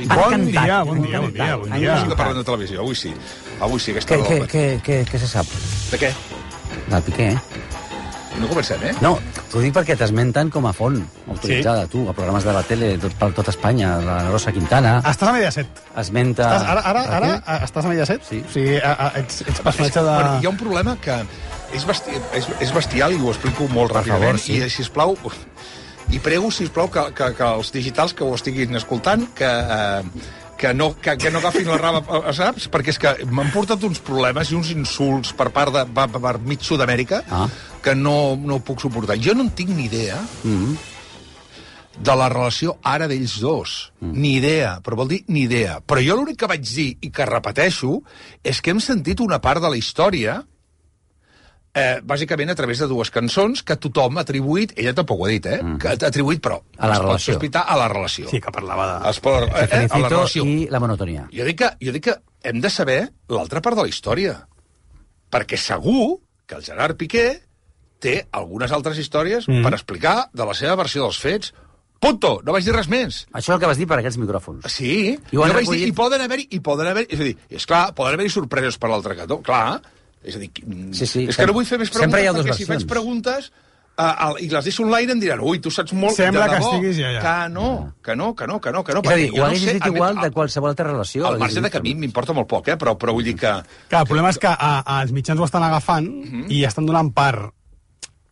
Bon dia. Sí que parlem de televisió, avui sí. Avui sí, aquesta hora. Què se sap? De què? Del Piqué, No comencem, No, t'ho dic perquè t'esmenten com a font autoritzada, tu, a programes de la tele per tot Espanya, la Rosa Quintana... Estàs a Mediaset. Esmenta... Ara estàs a Mediaset? Sí. O sigui, ets personatge de... Bueno, hi ha un problema que és bestial i ho explico molt ràpidament. Sí. I, sisplau, i prego, sisplau, que els digitals que ho estiguin escoltant, que no agafin la rama, saps? Perquè és que m'han portat uns problemes i uns insults per part de per mig Sud-amèrica que no puc suportar. Jo no en tinc ni idea de la relació ara d'ells dos. Ni idea, però vol dir ni idea. Però jo l'únic que vaig dir i que repeteixo és que hem sentit una part de la història bàsicament a través de dues cançons que tothom ha atribuït, ella tampoc ho ha dit, que ha atribuït, però a la es pot relació. sospitar a la relació. Sí, que parlava de... A la relació. I la monotonia. Jo dic que hem de saber l'altra part de la història. Perquè segur que el Gerard Piqué té algunes altres històries per explicar de la seva versió dels fets. Punto! No vaig dir res més. Això és el que vas dir per aquests micròfons. Sí, I ho han vaig dir, recollit. i poden haver-hi, és a dir, és clar, poden haver-hi sorpreses per l'altre cantó, clar. És a dir, Sí, és que no vull fer més sempre hi ha preguntes, dues perquè si faig versions. preguntes i les deixo online em diran, ui, tu saps molt Sembla de que debò. estiguis ja. Que no. És a dir, ho haguessis dit igual de qualsevol altra relació. Al marge de que a mi m'importa molt poc, però vull dir que... Clar, el problema és que els mitjans ho estan agafant i estan donant part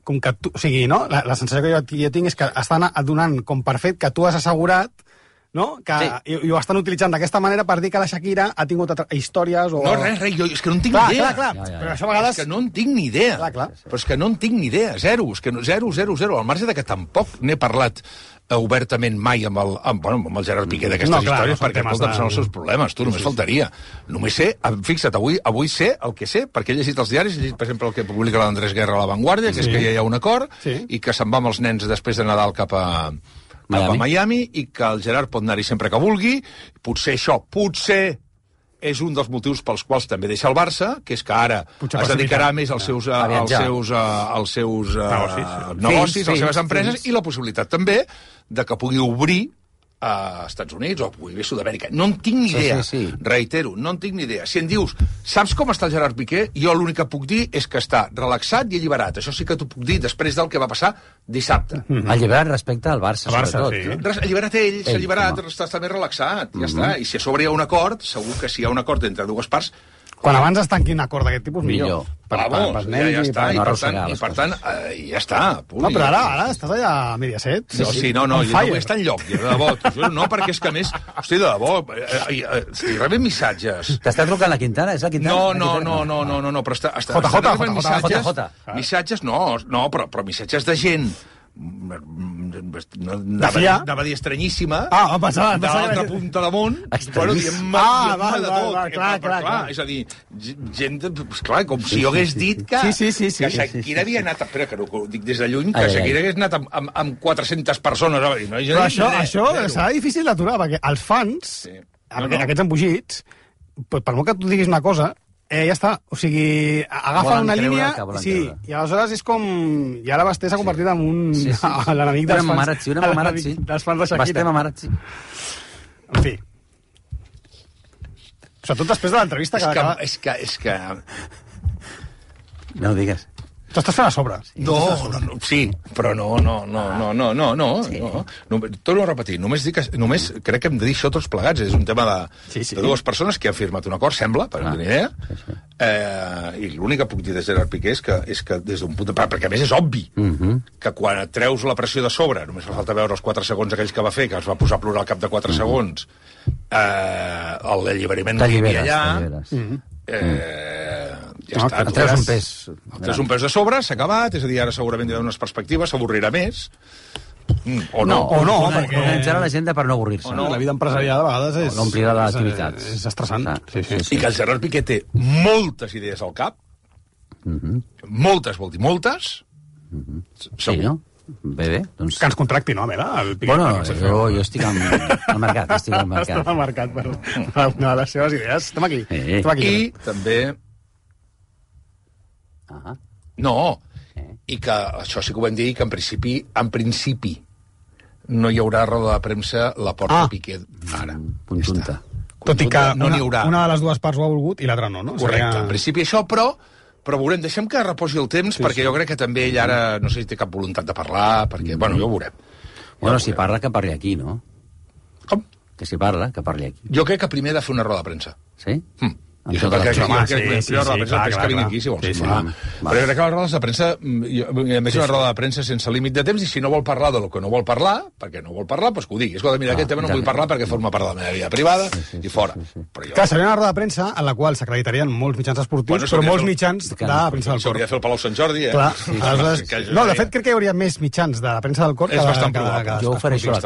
com que tu... O sigui, no? La sensació que jo tinc és que estan donant com per fet que tu has assegurat, no? Que, sí. I ho estan utilitzant d'aquesta manera per dir que la Shakira ha tingut històries o... No, res, jo és que no en tinc ni idea. Clar. Però això a vegades... És que no en tinc ni idea. Clar. Però és que no en tinc ni idea, zero. És que no, zero. Al marge de que tampoc n'he parlat obertament mai amb el Gerard Piqué d'aquestes històries, perquè escolta'm, són els seus problemes, tu, només faltaria. Només sé, fixa't, avui sé el que sé, perquè he llegit els diaris, he llegit, per exemple, el que publica l'Andrés Guerra a La Vanguardia, que és que ja hi ha un acord, i que se'n va amb els nens després de Nadal cap a Miami, i que el Gerard pot anar-hi sempre que vulgui. Potser és un dels motius pels quals també deixa el Barça, que és que ara es dedicarà més als seus negocis, a les seves empreses, i la possibilitat també de que pugui obrir a Estats Units o pugui bé Sud-amèrica. No en tinc ni idea. Reitero, no en tinc ni idea. Si em dius, saps com està el Gerard Piqué? Jo l'únic que puc dir és que està relaxat i alliberat. Això sí que t'ho puc dir després del que va passar dissabte. Alliberat respecte al Barça, sobretot. Alliberat ell, s'ha alliberat, està més relaxat, ja està. I si a sobre hi ha un acord, segur que si hi ha un acord entre dues parts... Quan abans es tanqui un acord d'aquest tipus, millor. Vamos, ja està, i per tant, ja està. No, però ara estàs allà a Mediaset. No, jo no vull estar enlloc, de debò. No, perquè és que a més, hosti, de debò, estic rebent missatges. T'està trucant la Quintana? És la Quintana? No, però està JJ. Missatges, no, però missatges de gent anava a dir estranyíssima, de l'altra punta de món, dient-me de tot. Clar, és a dir, gent, clar, com si jo hagués dit que Shakira havia anat, espera, que no ho dic des de lluny, que Shakira hagués anat amb 400 400 persones. Però això serà difícil d'aturar, perquè els fans, aquests embogits, per molt que tu diguis una cosa, ja està, o sigui, agafa una línia, i aleshores és com... I ara Basté s'ha convertit en l'enemic dels fans de Shakira. Basté Mamarazzi. En fi. Sobretot després de l'entrevista que acaba... És que... No ho digues. Tu estàs fent a sobre. Sí, però no. Torno a repetir, només crec que hem de dir això tots plegats. És un tema de dues persones que han firmat un acord, sembla, per una idea, i l'únic que puc dir de Gerard Piqué és que des d'un punt de... Perquè a més és obvi que quan et treus la pressió de sobre, només fa falta veure els 4 segons aquells que va fer, que es va posar a plorar al cap de 4 segons, l'alliberament que hi havia allà... ja està. Et treus un pes. Et treus un pes de sobre, s'ha acabat, és a dir, ara segurament hi ha unes perspectives, s'avorrirà més, o no. Perquè organitzarà l'agenda per no avorrir-se. La vida empresarial a vegades és... L'omplirà l'activitat. És estressant. I que el Gerard Piqué té moltes idees al cap, moltes, vol dir moltes, sí, no? Bé, doncs... Que ens contracti, no, Mela? Bueno, jo estic al mercat, Estem al mercat per una de les seves idees. Estem aquí. I també... No, i que això sí que ho vam dir, que en principi no hi haurà roda de premsa la Porta Piqué ara. Conjunta. Tot i que no n'hi haurà. Una de les dues parts ho ha volgut i l'altra no, no? Correcte, en principi això, però veurem, deixem que reposi el temps, perquè jo crec que també ell ara, no sé si té cap voluntat de parlar, perquè, bueno, ja ho veurem. Bueno, si parla, que parli aquí, no? Com? Que si parla, que parli aquí. Jo crec que primer ha de fer una roda de premsa. Sí? Jo crec que vingui aquí, si vols. Però jo crec que les rodes de premsa, a més una roda de premsa sense límit de temps, i si no vol parlar del que no vol parlar, perquè no vol parlar, doncs que ho digui. Escolta, mira, aquest tema no vull parlar perquè forma part de la meva vida privada, i fora. Clar, seria una roda de premsa en la qual s'acreditarien molts mitjans esportius, però molts mitjans de la premsa del cor. S'hauria de fer el Palau Sant Jordi, No, de fet, crec que hi hauria més mitjans de la premsa del cor que de... Jo ofereixo la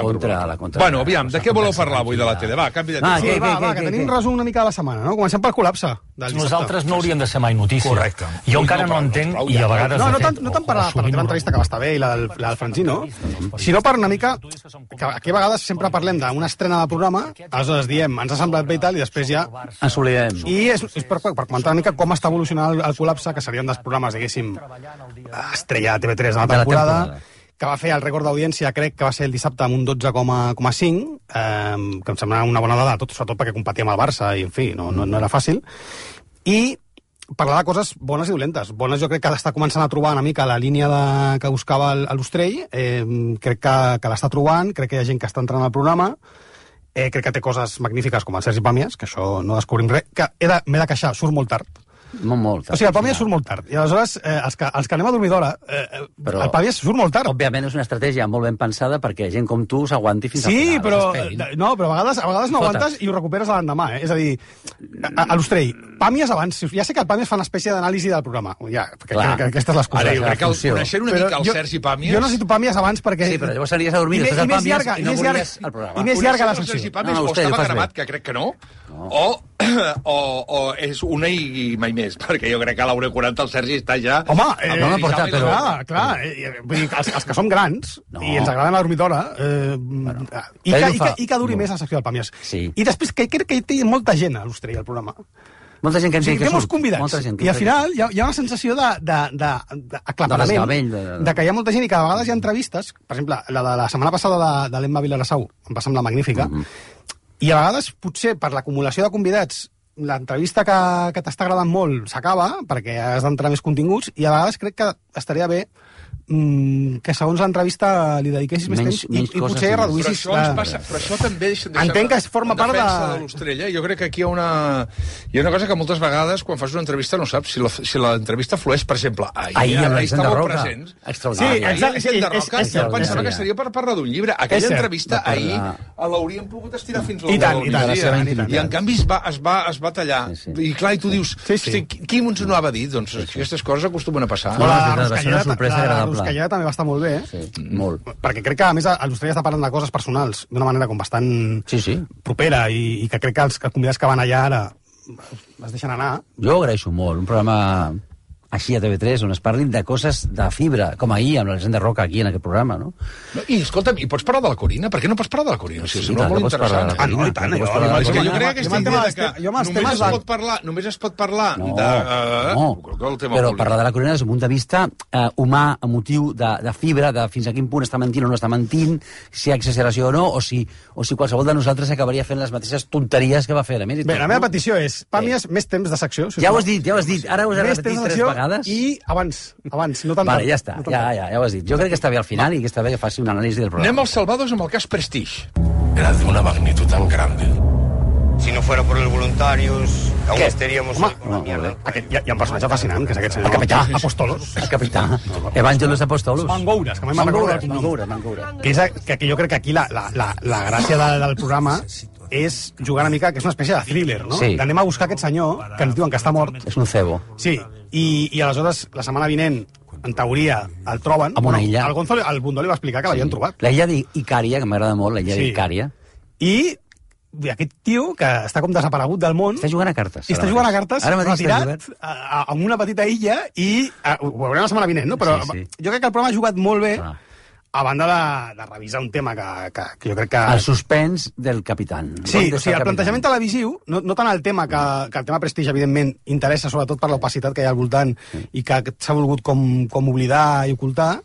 contra. Bueno, aviam, de què voleu parlar avui de la tele? Va, canvi de tema. Va, que tenim un resum una mica de la setmana, no? Comencem pel col·lapse. Nosaltres no hauríem de ser mai notícia. Correcte. Jo encara no entenc, i a vegades... No tant per la teva entrevista, que va estar bé, i la del Francino, sinó per una mica... que aquí a vegades sempre parlem d'una estrena de programa, aleshores diem, ens ha semblat bé i tal, i després ja... Ens oblidem. I és per comentar una mica com està evolucionant el col·lapse, que serien dels programes, diguéssim, estrella de TV3 de la temporada, que va fer el rècord d'audiència, crec que va ser el dissabte amb un 12,5, que em sembla una bona dada, sobretot perquè competia amb el Barça, i en fi, no era fàcil. I parlar de coses bones i dolentes. Bones jo crec que està començant a trobar una mica la línia que buscava l'Ostrell, crec que l'està trobant, crec que hi ha gent que està entrant al programa, crec que té coses magnífiques com el Sergi Pàmies, que això no descobrim res, que m'he de queixar, surt molt tard. Molt tard. O sigui, el Pàmies surt molt tard. I aleshores, els que anem a dormir d'hora, el Pàmies surt molt tard. Òbviament és una estratègia molt ben pensada perquè gent com tu s'aguanti fins al final. Sí, però a vegades no aguantes i ho recuperes a l'endemà, És a dir, a l'Ostrell, Pàmies abans... Ja sé que el Pàmies fa una espècie d'anàlisi del programa. Ja, perquè aquesta és l'excusa. Ara, jo crec que coneixent una mica el Sergi Pàmies... Jo necessito Pàmies abans perquè... Sí, però llavors aniries a dormir després del Pàmies i no volies el programa. I més llarga la secció. Sergi Pàmies o estava gravat, que crec que no, o és una i mai més, perquè jo crec que a l'hora 40 el Sergi està ja... Home, clar, vull dir, els que som grans i ens agrada la dormidora i que duri més la secció del Pàmies. I després, que crec que hi té molta gent a l'Ostrell, al programa. Molta gent que entén que surt. Molts convidats. I al final hi ha una sensació d'aclaparament, de que hi ha molta gent i que a vegades hi ha entrevistes, per exemple, la de la setmana passada de l'Emma Vilarassau, em va semblar magnífica, i a vegades, potser, per l'acumulació de convidats, l'entrevista que t'està agradant molt s'acaba, perquè has d'entrar més continguts, i a vegades crec que estaria bé que segons l'entrevista li dediquessis més temps i potser reduïssis... Però això també... Entenc que forma part de l'Ostrell, Jo crec que aquí hi ha una cosa que moltes vegades, quan fas una entrevista, no saps si l'entrevista flueix, per exemple, ahir estàveu presents. Extraordinari. Sí, de Roca, jo pensava que seria per parlar d'un llibre. Aquella entrevista ahir l'hauríem pogut estirar fins al i en canvi es va tallar. I clar, i tu dius, qui ens ho va dir? Doncs aquestes coses acostumen a passar. Va ser una sorpresa agradable. Ruscalleda també va estar molt bé, molt. Perquè crec que, a més, l'Ostrell està parlant de coses personals d'una manera com bastant propera i que crec que els convidats que van allà ara es deixen anar. Jo ho agraeixo molt, un programa així a TV3, on es parlin de coses de fibra, com ahir, amb l'Alexandre Roca aquí en aquest programa, no? I, escolta'm, i pots parlar de la Corina? Per què no pots parlar de la Corina? Sí, sembla molt interessant. No, i tant. Jo crec que aquesta idea que només es pot parlar de... Però parlar de la Corina des d'un punt de vista humà, emotiu, de fibra, de fins a quin punt està mentint o no està mentint, si hi ha exageració o no, o si qualsevol de nosaltres acabaria fent les mateixes tonteries que va fer. Bé, la meva petició és, Pàmies, més temps de secció. Ja ho has dit, ara ho has repetit 3 vegades. I abans, no tant. Vale, ja està, ja ho has dit. Jo crec que està bé al final i que està bé que faci una anàlisi del programa. Anem als salvados amb el cas Prestige. Era de una magnitud tan grande. Si no fuera por los voluntarios, aún estaríamos... Hi ha un personatge fascinant, que és aquest senyor. El capità. Apostolos. El capità. Evangelos Apostolos. Mangoures, que mai me'n recordo. Mangoures. Que jo crec que aquí la gràcia del programa és jugar una mica, que és una espècie de thriller, no? Sí. Anem a buscar aquest senyor, que ens diuen que està mort. És un cebo. Sí, i aleshores, la setmana vinent, en teoria, el troben. Amb una illa. El Bundó li va explicar que l'havien trobat. La illa d'Icària, que m'agrada molt, la illa d'Icària. I aquest tio, que està com desaparegut del món... Està jugant a cartes. Està jugant a cartes, retirat, amb una petita illa, i ho veurem la setmana vinent, no? Però jo crec que el programa ha jugat molt bé, a banda de revisar un tema que jo crec que... El suspens del capità. Sí, o sigui, el plantejament televisiu, no tant el tema que el tema Prestige, evidentment, interessa sobretot per l'opacitat que hi ha al voltant i que s'ha volgut com oblidar i ocultar,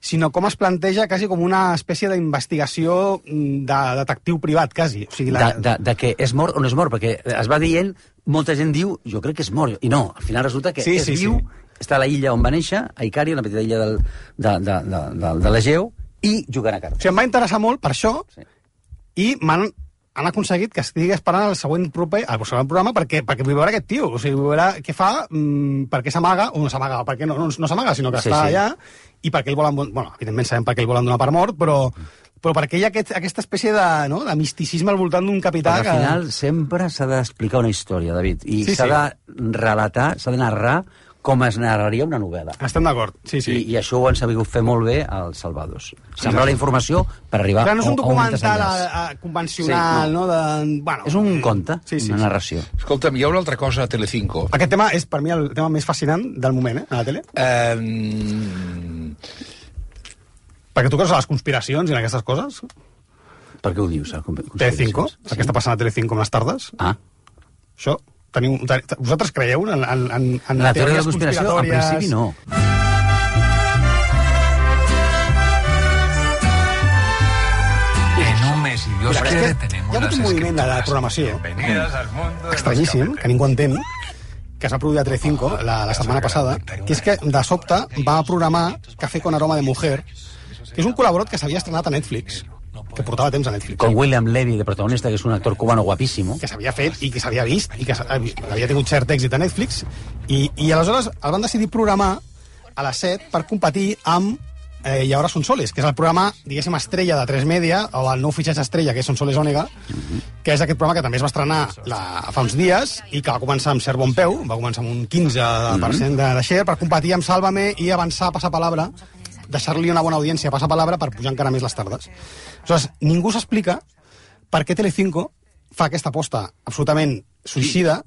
sinó com es planteja quasi com una espècie d'investigació de detectiu privat, quasi. O sigui, de que és mort o no és mort, perquè es va dient, molta gent diu, jo crec que és mort, i no, al final resulta que és viu, està a la illa on va néixer, a Icària, la petita illa de l'Egeu, i jugant a cartes. O sigui, em va interessar molt per això, i han aconseguit que estigui esperant el següent programa perquè vull veure aquest tio, o sigui, vull veure què fa, per què s'amaga, o no s'amaga, perquè no s'amaga, sinó que està allà, i perquè ell volen... Bueno, evidentment sabem per què ell volen donar per mort, però perquè hi ha aquesta espècie de misticisme al voltant d'un capità que... Al final sempre s'ha d'explicar una història, David, i s'ha de relatar, s'ha de narrar com es narraria una novel·la. Estem d'acord, sí. I això ho han sabut fer molt bé als Salvados. Sembla la informació per arribar a un no és un documental convencional, no? És un conte, una narració. Escolta'm, hi ha una altra cosa a Telecinco. Aquest tema és, per mi, el tema més fascinant del moment, a la tele. Perquè tu creus a les conspiracions i en aquestes coses? Per què ho dius? Telecinco? El que està passant a Telecinco en les tardes? Això... Vosaltres creieu en la teoria de la conspiració? En principi no. En un mes, si Dios quiere, tenemos hi ha hagut un moviment de la programació estranyíssim, que ningú entén, que es va produir a Telecinco la setmana passada, que és que de sobte va programar Café con aroma de mujer, que és un col·laborat que s'havia estrenat a Netflix, que portava temps a Netflix. Con William Levy, de protagonista, que és un actor cubano guapíssimo. Que s'havia fet i que s'havia vist i que havia tingut cert èxit a Netflix. I aleshores el van decidir programar a les 7 per competir amb Y ahora Son Soles, que és el programa, diguéssim, estrella de 3 Media, o el nou fitxatge estrella, que és Son Soles Ònega, que és aquest programa que també es va estrenar fa uns dies i que va començar amb cert bon peu, va començar amb un 15% de share per competir amb Sálvame i avançar a passar palabra, deixar-li una bona audiència a passar palabra per pujar encara més les tardes. Aleshores, ningú s'explica per què Telecinco fa aquesta aposta absolutament suïcida,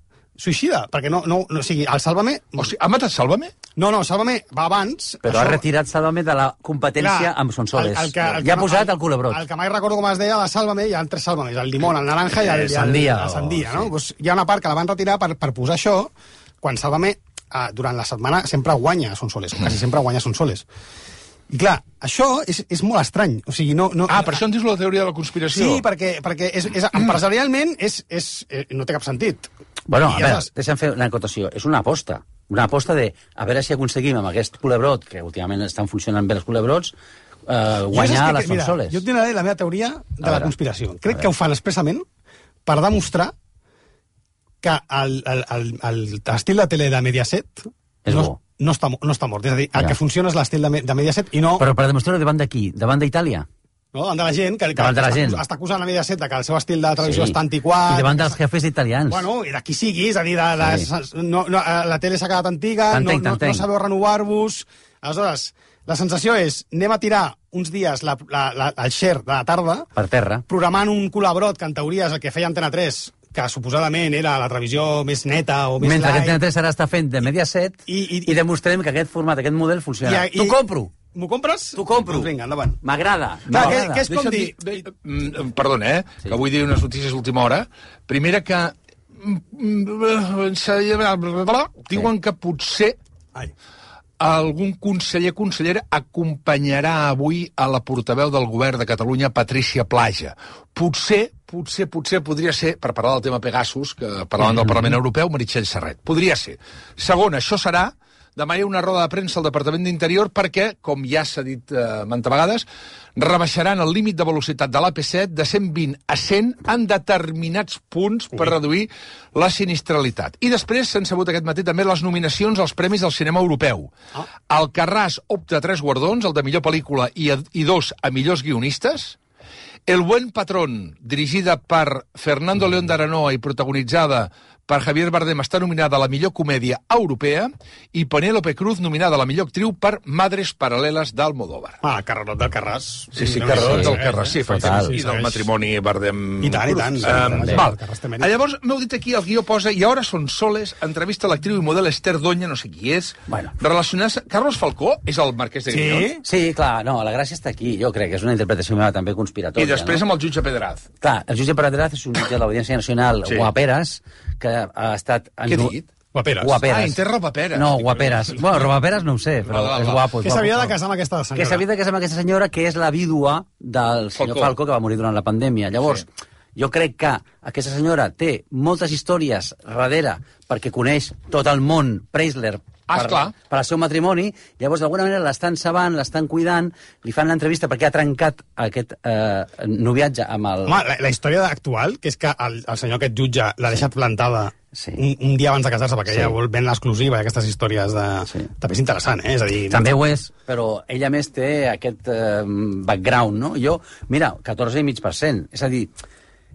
perquè no, o sigui, el Sálvame... O sigui, ha matat Sálvame? No, Sálvame va abans... Però ha retirat Sálvame de la competència amb Son Soles. Ja ha posat el culebrot. El que mai recordo com es deia de Sálvame, hi ha 3 Sálvames, el limón, el naranja i el sandia, no? Pues hi ha una part que la van retirar per posar això, quan Sálvame, durant la setmana, sempre guanya Son Soles, quasi sempre guanya Son Soles. I clar, això és molt estrany. O sigui, no... per això en dius la teoria de la conspiració? Sí, perquè empresarialment no té cap sentit. Bueno, a veure, deixa'm fer una acotació. És una aposta de a veure si aconseguim amb aquest culebrot, que últimament estan funcionant bé els culebrots, guanyar les Son Soles. Jo et diré la meva teoria de la conspiració. Crec que ho fan expressament per demostrar que l'estil de tele de Mediaset no està mort. És a dir, el que funciona és l'estil de Mediaset i no... Però per demostrar-ho davant de qui? Davant d'Itàlia? No, davant de la gent, que està acusant a Mediaset que el seu estil de televisió està antiquat... I davant dels jefes italians. Bueno, i de qui sigui, és a dir, la tele s'ha quedat antiga, no sabeu renovar-vos... Aleshores, la sensació és, anem a tirar uns dies el share de la tarda... Per terra. Programant un culebrot, que en teoria és el que feia Antena 3, que suposadament era la televisió més neta o més mentre light... que Antena 3 ara està fent de Mediaset i demostrem que aquest format, aquest model funciona. T'ho compro! M'ho compres? T'ho compro. Doncs vinga, endavant. M'agrada. Què és com dir... Perdona, que vull dir unes notícies d'última hora. Primera que... Diuen que potser algun consellera acompanyarà avui a la portaveu del govern de Catalunya, Patrícia Plaja. Potser podria ser, per parlar del tema Pegasus, que parlaven del Parlament Europeu, Meritxell Serret. Podria ser. Segona, això serà demà hi ha una roda de premsa al Departament d'Interior perquè, com ja s'ha dit mantes vegades, rebaixaran el límit de velocitat de l'AP7 de 120 a 100 en determinats punts per reduir la sinistralitat. I després s'han sabut aquest matí també les nominacions als Premis del Cinema Europeu. Alcarràs opta a 3 guardons, el de millor pel·lícula i 2 a millors guionistes. El buen patrón, dirigida per Fernando León de Aranoa i protagonitzada per Javier Bardem, està nominada a la millor comèdia europea, i Penélope Cruz nominada a la millor actriu per Madres Paral·leles d'Almodóvar. Carrerot del Carràs. Sí, Carrerot del Carràs, sí, i del matrimoni Bardem... I tant. Llavors, m'heu dit aquí, el guió posa, i ara Son Soles, entrevista a l'actriu i model Esther Doña, no sé qui és, relacionats... Carlos Falcó és el marquès de Griñón? Sí, clar, no, la gràcia està aquí, jo crec que és una interpretació meva també conspiratòria. I després amb el jutge Pedraz. Clar, el jutge Pedraz és un jutge de l'Audiència Nacional, Guaperas, que ha estat... Què ha dit? Guaperes. Inter robaperes. No, guaperes. Bueno, robaperes no ho sé, però és guapo. Que s'havia de casar amb aquesta senyora. Que s'havia de casar amb aquesta senyora, que és la vídua del senyor Falcó, que va morir durant la pandèmia. Llavors, jo crec que aquesta senyora té moltes històries darrere perquè coneix tot el món Preisler per al seu matrimoni. Llavors, d'alguna manera, l'estan sabant, l'estan cuidant, li fan l'entrevista perquè ha trencat aquest noviatge amb el... Home, la història actual, que és que el senyor aquest jutge l'ha deixat plantada un dia abans de casar-se, perquè ella vol vendre l'exclusiva d'aquestes històries de... També és interessant, És a dir... També ho és, però ella més té aquest background, no? Jo, mira, 14,5%. És a dir,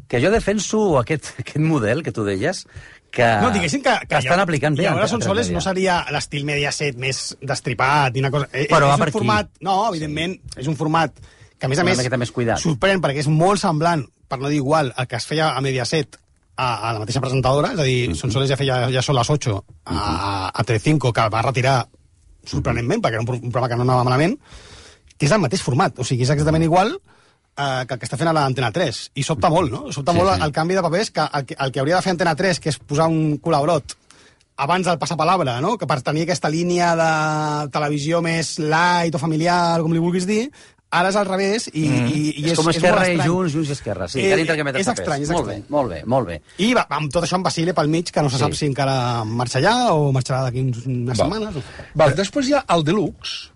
que jo defenso aquest model que tu deies, que estan aplicant bé. I ara Sonsoles no seria l'estil Mediaset més destripat i una cosa... Però va per aquí. No, evidentment, és un format que, a més, sorprèn perquè és molt semblant, per no dir igual, el que es feia a Mediaset a la mateixa presentadora, és a dir, Sonsoles ja feia Ja són les 8 a Telecinco, que va retirar sorprenentment, perquè era un programa que no anava malament, que és el mateix format, o sigui, és exactament igual que el que està fent a l'Antena 3, i sobta molt, no? Sobta molt el canvi de papers, que el que hauria de fer Antena 3, que és posar un col·laborat abans del passapalabra, no? Que per tenir aquesta línia de televisió més light o familiar, com li vulguis dir, ara és al revés i és com Esquerra i Junts i Esquerra. Sí, que és estrany, és estrany. Molt bé. I amb tot això en Basile pel mig, que no se sap si encara marxa allà o marxarà d'aquí unes setmanes. Després hi ha el Deluxe.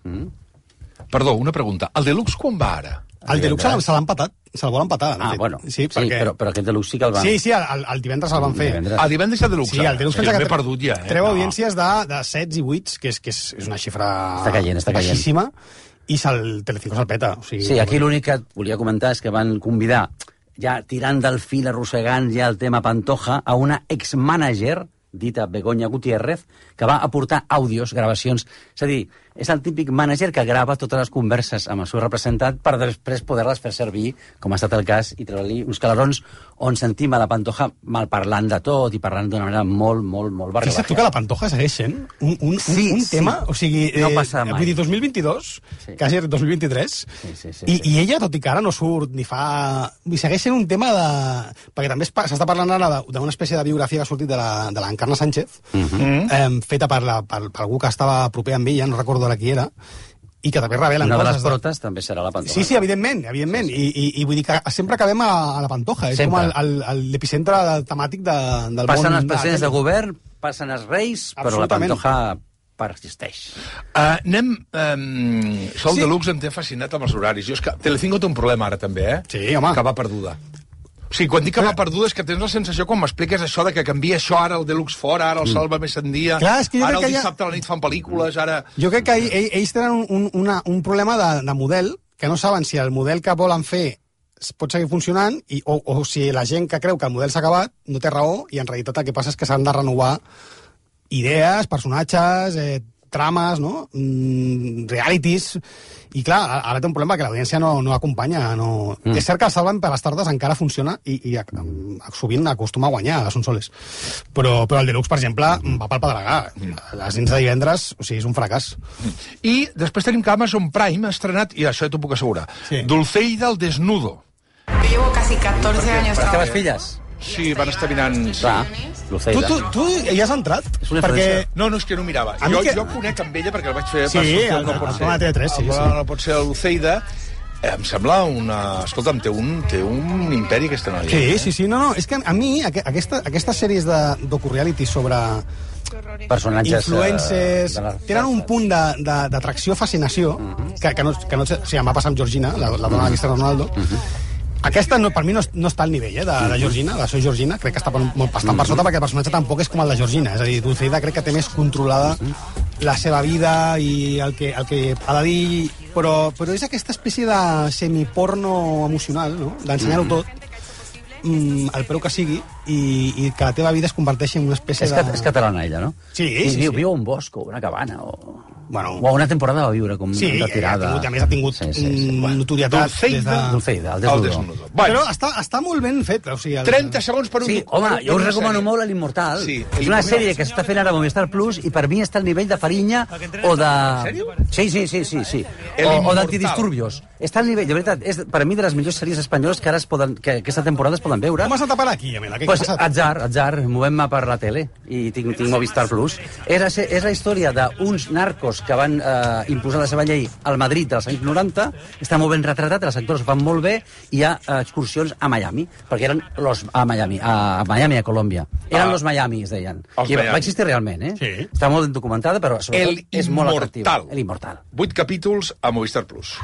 Perdó, una pregunta. El Deluxe quan va ara? El Deluxe se l'ha empatat, se'l vol empatar. Bueno, sí, però aquest Deluxe sí que el van... Sí, el divendres el van fer. Divendres hi ha Deluxe. Sí, el Deluxe pensa que perdut ja, treu audiències de 7 i 8, que és una xifra baixíssima, i el Telecinco se'l peta. Sí, aquí l'únic que volia comentar és que van convidar, ja tirant del fil, arrossegant ja el tema Pantoja, a una ex-mànager, dita Begoña Gutiérrez, que va aportar àudios, gravacions. És a dir, és el típic mànager que grava totes les converses amb el seu representant per després poder-les fer servir, com ha estat el cas, i treure-li uns calarons on sentim a la Pantoja malparlant de tot i parlant d'una manera molt barriolàgia. Fixa't tu que la Pantoja segueix sent un tema, o sigui, no passa mai. Vull dir, 2022, quasi 2023, i ella, tot i que ara no surt ni fa... Segueix sent un tema de... Perquè també s'està parlant ara d'una espècie de biografia que ha sortit de l'Encarna Sánchez, feta per algú que estava proper amb ella, no recordo ara qui era, i que també revelen coses. Una de les protes també serà la Pantoja. Sí, evidentment. I vull dir que sempre acabem a la Pantoja. És com l'epicentre temàtic del món. Passen els presidents de govern, passen els reis, però la Pantoja persisteix. Això el Deluxe em té fascinat amb els horaris. És que Telecinco té un problema ara també, Sí, home. Que va perduda. O sigui, quan dic que va perduda és que tens la sensació, quan m'expliques això de que canvia això, ara el Deluxe fora, ara el Salva més en dia, ara el dissabte a la nit fan pel·lícules, ara... Jo crec que ells tenen un problema de model, que no saben si el model que volen fer pot seguir funcionant o si la gent que creu que el model s'ha acabat no té raó, i en realitat el que passa és que s'han de renovar idees, personatges, trames, no? Realities. I clar, ara té un problema que l'audiència no acompanya. És cert que el Salva per les tardes encara funciona i sovint acostuma a guanyar a Sonsoles. Però el Deluxe, per exemple, va pel pedregà. Les nits de divendres, o sigui, és un fracàs. I després tenim que Amazon Prime ha estrenat, i això ja t'ho puc assegurar, Dulceida el desnudo. Yo llevo casi 14 años trabajando. ¿Las filles? Sí, van estar mirant... Tu hi has entrat? Perquè... No, és que no mirava. Jo conec amb ella perquè el vaig fer... Sí, el programa de TV3, sí. No pot ser l'Ulceida. Em sembla una... Escolta'm, té un imperi aquesta noia. Sí. No, és que a mi aquestes sèries de docu-reality sobre personatges influencers tenen un punt d'atracció, fascinació, que no... O sigui, em va passar amb Georgina, la dona de Cristiano Ronaldo. Aquesta per mi no està al nivell de Georgina, de Soy Georgina, crec que està bastant per sota perquè el personatge tampoc és com el de Georgina, és a dir, Dulceida crec que té més controlada la seva vida i el que ha de dir, però és aquesta espècie de semiporno emocional, no? D'ensenyar-ho tot, el preu que sigui, i que la teva vida es converteixi en una espècie de... És catalana ella, no? Sí. Viu a un bosc o una cabana o... Bueno, o una temporada va viure com retirada. Sí, a més ha tingut notorietat Dulceida, el Desnudo. Però està molt ben fet. O sigui, 30 segons per un... Sí, home, jo us recomano molt l'Immortal. Sí, és una sèrie que s'està fent ara a Movistar Plus i per mi està al nivell de Fariña o de... En sèrio? Sí. O d'Antidisturbios. Està al nivell, de veritat, és per mi de les millors sèries espanyoles que ara aquesta temporada es poden veure. Com has anat a parar aquí, Amela? Pues atzar, movem-me per la tele i tinc Movistar Plus. És la història d'uns narcos que van imposar la seva llei al Madrid dels anys 90, està molt ben retratat, els actors ho fan molt bé, i hi ha excursions a Miami, perquè eren a Miami, a Colòmbia. Eren los Miami, es deien. I va existir realment, Sí. Està molt documentada, però sobretot és molt atractiva. El Immortal. 8 capítols a Movistar Plus.